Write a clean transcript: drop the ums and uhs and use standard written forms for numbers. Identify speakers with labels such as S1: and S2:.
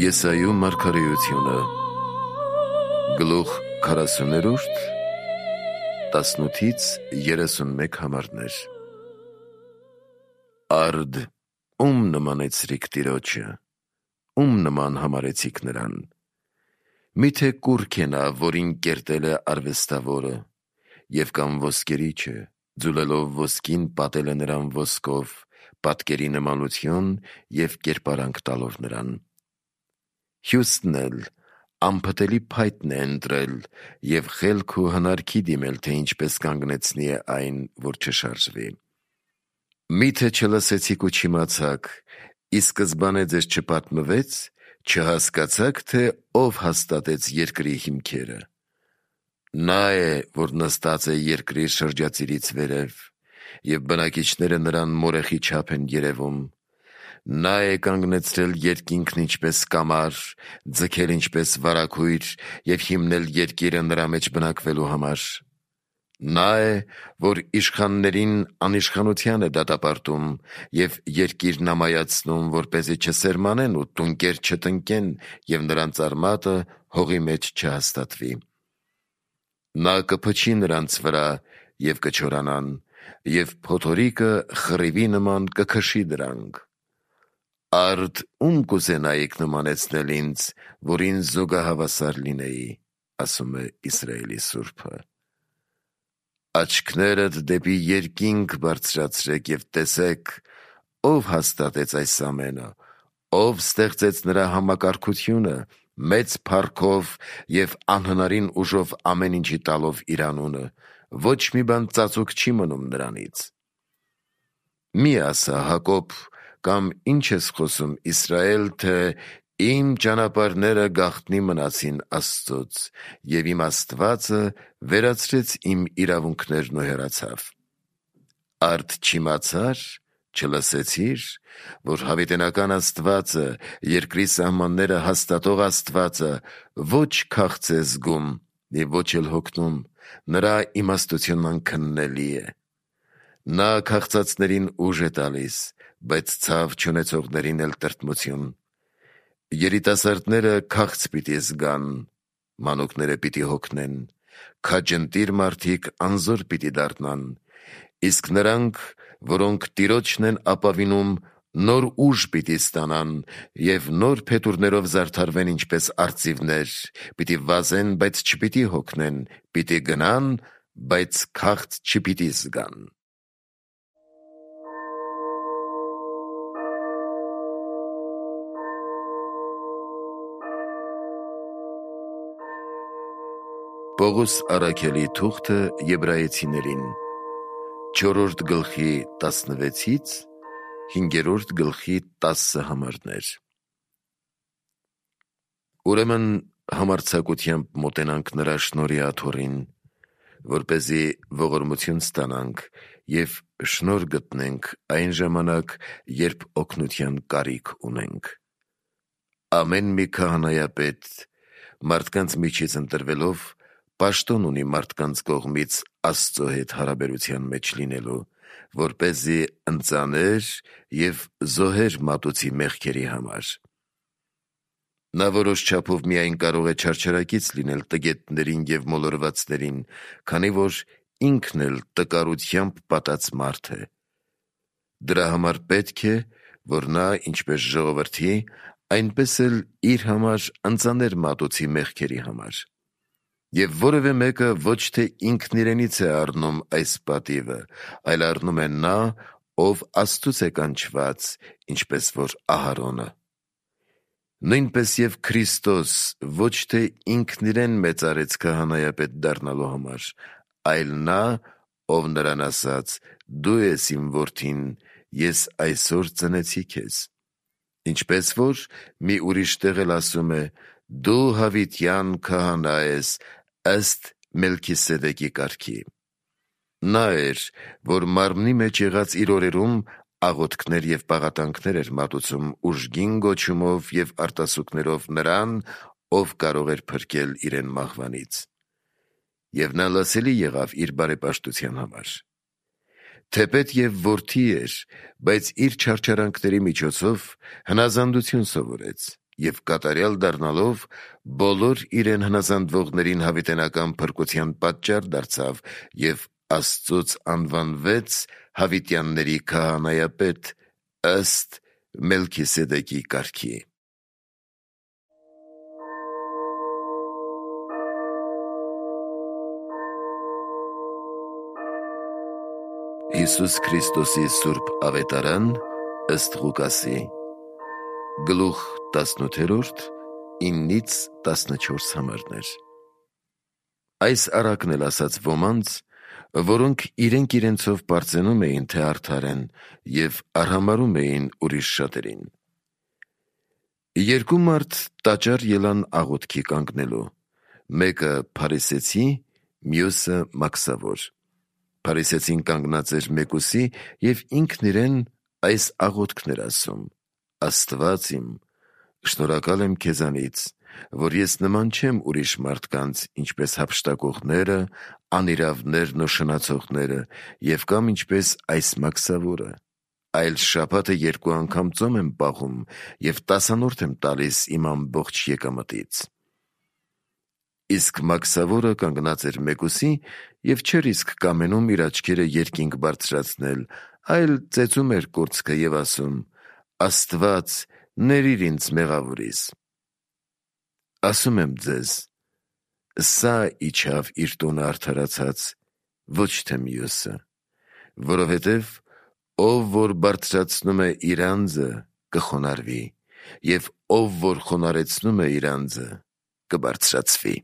S1: Եսայու մարգարեությունը գլուխ 40 18-ից 31 համարներ։ Արդ, ում նմանեցրիք Տիրոջը, ում նման համարեցիք նրան։ Միթե կուռք է նա, որին կերտել է արվեստավորը, և կամ ոսկերիչը, ձուլելով ոսկին պատել է նրան ոսկով, պատկերի նմանություն և կերպարանք տալով նրան։ Հյուսն էլ անփտելի փայտն է ընտրել և խելք ու հնարքի դիմել, թե ինչպես կանգնեցնի է այն, որ չշարժվի։ Միթե չլսեցիք ու չիմացաք, ի սկզբանե ձեզ չպատմվեց, չհասկացաք, թե ով հաստատեց երկրի հիմքերը։ Նա է, որ նստած է երկրի շրջածիրից վերև, և բնակիչները նրան մորեխի չափ են երևում։ Նա է կանգնեցրել երկինքն ինչպես կամար, ձգել ինչպես վարագույր և հիմնել երկիրը նրա մեջ բնակվելու համար։ Նա է, որ իշխաններին անիշխանության է դատապարտում և երկիրն ամայացնում, որպեսզի չսերմանեն ու տունկեր չտնկեն և նրանց արմատը հողի մեջ չհաստատվի։ Նա կփչի նրանց վրա և կչորանան, և փոթորիկը խռիվի նման կքշի դրանք։ Արդ, ում կուզենայիք նմանեցնել ինձ, որ ինձ զուգահավասար լինեի, ասում է Իսրայելի Սուրբը։ Աչքներդ դեպի երկինք բարձրացրեք և տեսեք, ով հաստատեց այս ամենը, ով ստեղծեց նրա համակարգությունը, մեծ փառքով և անհնարին ուժով ամեն ինչի տալով իր անունը, ոչ մի բան ծածուկ չի մնում նրանից։ Մի ասա Հակոբ, կամ ինչ ես խոսում Իսրայել, թե իմ ճանապարհները գաղտնի մնացին Աստծոց, և իմ Աստվածը վերացրեց իմ իրավունքներն ու հեռացավ։ Արդ չիմացար, չլսեցիր, որ հավիտենական Աստվածը, երկրի սահմանները հաստատող Աստվածը ոչ քաղց է զգում և ոչ էլ հոգնում, նրա իմաստությունն անքննելի է։ Նա քաղցածներին ուժ է տալիս, բայց ցավ չունեցողներին էլ տրտմություն։ Երիտասարդները քաղց պիտի զգան, մանուկները պիտի հոգնեն, քաջընտիր մարդիկ անզոր պիտի դառնան, իսկ նրանք, որոնք Տիրոջն են ապավինում, նոր ուժ պիտի ստանան և նոր փետուրներով զարդարվեն ինչպես արծիվներ, պիտի վազեն, բայց չպիտի հոգնեն, պիտի գնան, բայց քաղց չպիտի զգան։ Պողոս առաքյալի թուղթը Եբրայեցիներին 4-րդ գլխի 16-ից 5-րդ գլխի 10 համարներ։ Ուրեմն համարձակությամբ մոտենանք նրա շնորհի աթոռին, որպեսզի ողորմություն ստանանք և շնորհ գտնենք այն ժամանակ, երբ օգնության կարիք ունենք։ Ամեն մի քահանայապետ մարդկանց միջից ընտրվելով պաշտոն ունի մարդկանց կողմից Աստծո հետ հարաբերության մեջ լինելու, որպեսզի ընծաներ և զոհեր մատուցի մեղքերի համար։ Նա որոշ չափով միայն կարող է չարչարակից լինել տգետներին և մոլորվածներին, քանի որ ինքն էլ տկարությամբ պատած մարդ է։ Դրա համար պետք է, որ նա ինչպես ժողովրդի, այնպես էլ իր համար ընծաներ մատուցի մեղքերի համար։ Եվ որևէ մեկը ոչ թե ինքն իրենից է առնում այս պատիվը, այլ առնում է նա, ով Աստծուց է կանչված, ինչպես որ Ահարոնը։ Նույնպես և Քրիստոս ոչ թե ինքն իրեն մեծարեց քահանայապետ դառնալու համար, այլ նա, ով նրան ասաց. «Դու ես իմ որդին, ես այսօր ծնեցի քեզ»։ Ինչպես որ մի ուրիշ տեղ էլ ասում է. «Դու հավիտյան քահանա ես ըստ Մելքիսեդեկի կարգի»։ Նա էր, որ մարմնի մեջ եղած իր օրերում աղոթքներ և պաղատանքներ էր մատուցում ուժգին գոչումով և արտասուքներով նրան, ով կարող էր փրկել իրեն մահվանից։ Եվ նա լսելի եղավ իր բարեպաշտության համար։ Թեպետ և որդի էր, բայց իր չարչարանքների միջոցով հնազանդություն սովորեց և կատարյալ դառնալով բոլոր իրեն հնազանդվողներին հավիտենական փրկության պատճառ դարձավ և Աստծուց անվանվեց հավիտյանների քահանայապետ ըստ Մելքիսեդեկի կարգի։ Հիսուս Քրիստոսի Սուրբ Ավետարան ըստ Ղուկասի, գլուխ 18, 9-14 համարներ։ Այս առակն էլ ասաց ոմանց, որոնք իրենք իրենցով պարծենում էին, թե արդար են, և արհամարհում էին ուրիշ շատերին։ Երկու մարդ տաճար ելան աղոթքի կանգնելու, մեկը փարիսեցի, մյուսը մաքսավոր։ Փարիսեցին կանգնած էր մեկուսի և ինքն իրեն այս աղոթքն էր ասում. «Աստված իմ, շնորհակալ եմ քեզանից, որ ես նման չեմ ուրիշ մարդկանց, ինչպես հափշտակողները, անիրավներն ու շնացողները, և կամ ինչպես այս մաքսավորը, այլ շաբաթը 2 անգամ ծոմ եմ պահում և 10-րդ եմ տալիս իմ ամբողջ եկամտից»։ Իսկ մաքսավորը կանգնած էր մեկուսի և չէր իսկ կամենում իր աչքերը երկինք բարձրացնել, այլ ծեծում էր կուրծքը և ասում. «Աստված, ներիր ինձ մեղավորիս»։ Ասում եմ ձեզ, սա իջավ իր տունը արդարացած, ոչ թե մյուսը, որովհետև ով որ բարձրացնում է իր անձը, կխոնարհվի, և ով որ խոնարհեցնում է իր անձը, կբարձրացվի։